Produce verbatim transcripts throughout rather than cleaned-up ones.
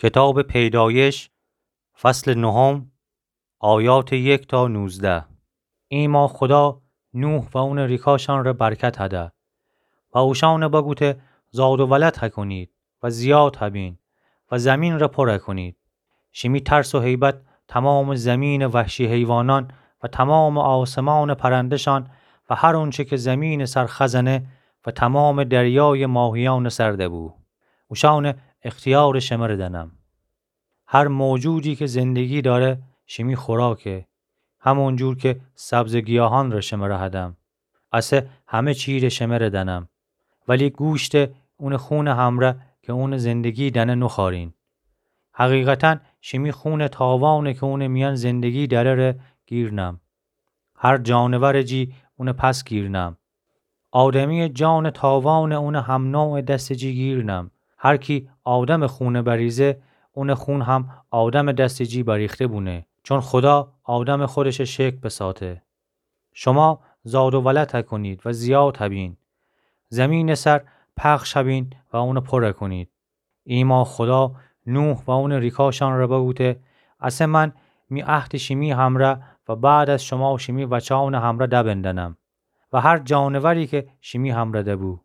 کتابٚ پیدایش، فصلٚ نهم، آیاتٚ یک تا نوزده. ایما خودا نوح و اونٚ ریکاشأنٚ ره برکت هده و اوشأنٚ بگوته: زاد و ولد هکونید و زیاد هبین و زمینٚ ره پر هکونید. شیمی ترس و هیبت تومامٚ زمینٚ وحشی حیوانأن و تومامٚ آسمانٚ پرنده‌شأن و هر اونچه که زمینٚ سر خزنه و تومامٚ دریایٚ ماهیأنٚ سر دبو، اوشأنٚ اختیارٚ شمره دنم. هر موجودی که زندگی دأره شیمی خوراکه، همونجور که سبزٚ گیاهأنٚ ره شمره هدم، اسه همه چی‌ره شمره دنم. ولی گوشته اونٚ خونٚ همره که اونٚ زندگی دأنه نوخوأرین. حقیقتاً شیمی خونٚ تاوانه که اونٚ میأن زندگی دأره ره گیر نم. هر جانورٚ جی اونٚ پس گیر نم. آدمیٚ جانٚ تاوانه اونٚ همنوعٚ دستٚ جی گیر نم. هر کی آدمٚ خونه بریزه، اونٚ خون هم آدمٚ دستٚ جی بریخته بونه، چون خودا آدمٚ خودشٚ شکل بساته. شما زاد و ولد هکونید و زیاد هبین، زمینٚ سر پخش هبین و اونه پر هکونید. ایما خودا نوح و اونٚ ریکاشأن ره بگوته: اسه من می عهدٚ شیمی همره و بعد از شما شیمی وچأنٚ همره دبندنم و هر جانوری که شیمی همره دبو،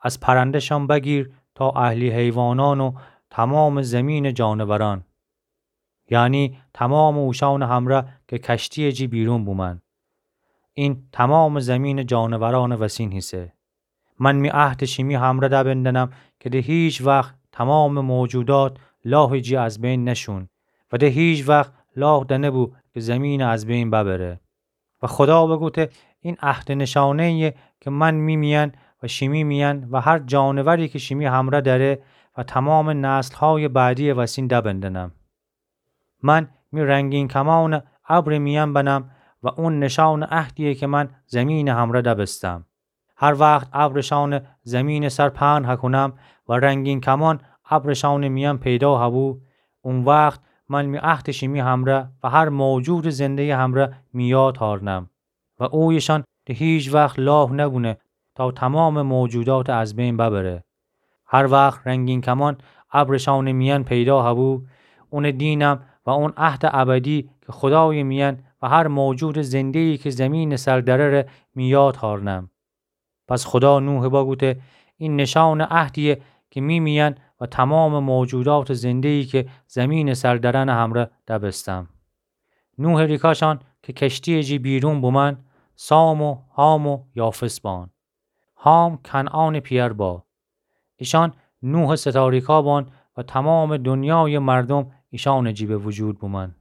از پرنده‌شأن بگیر تا اهلی حیوانأن و تومامٚ زمینٚ جانورأن، یعنی تومامٚ اوشأنٚ همره که کشتیٚ جی بیرون بومأن. این تومامٚ زمینٚ جانورأنٚ وسین هیسه. من می عهدٚ شیمی همره دبندنم که ده هیچ وخت تومامٚ موجودات لاهٚ جی از بین نشون و ده هیچ وخت لاه دنبو که زمینٚ از بین ببره. و خودا بگوته: این عهدٚ نشانه‌یه که من می میأن و شیمی میأن و هر جانوری که شیمی همره دأره و تومامٚ نسل‌هایٚ بعدیٚ وسین دبندنم. من می رنگین کمأنٚ ابرٚ میأن بنم و اون نشانٚ عهدیه که من زمینٚ همره دبستم. هر وخت ابرٚ شأنٚ زمینٚ سر پهن هکونم و رنگین کمأن ابرٚ شأنٚ میأن پیدا هبو، او وخت من می عهدٚ شیمی همره و هر موجودٚ زنده‌یٚ همره می یاد هأرنم و اویشأن ده هیچ وخت لاه نبونه تا تومامٚ موجودات از بین ببره. هر وخت رنگین کمأن ابرٚ شأنٚ میأن پیدا هبو، اونٚ دینم و اون عهدٚ ابدی که خودایٚ میأن و هر موجودٚ زنده‌یی که زمینٚ سر دأره ره می یاد هأرنم. پس خودا نوحٚ بگوته: این نشانٚ عهدیه که می میأن و تومامٚ موجوداتٚ زنده‌یی که زمینٚ سر دأرأنٚ همره دبستم. نوحٚ ریکاشأن که کشتیٚ جی بیرون بومأن، سام و حام و یافث بأن. حام کنعانٚ پیأر با. ایشأن نوحٚ ستاریکا بأن و تومامٚ دونیایٚ مردوم ایشأنٚ جی به وجود بومأن.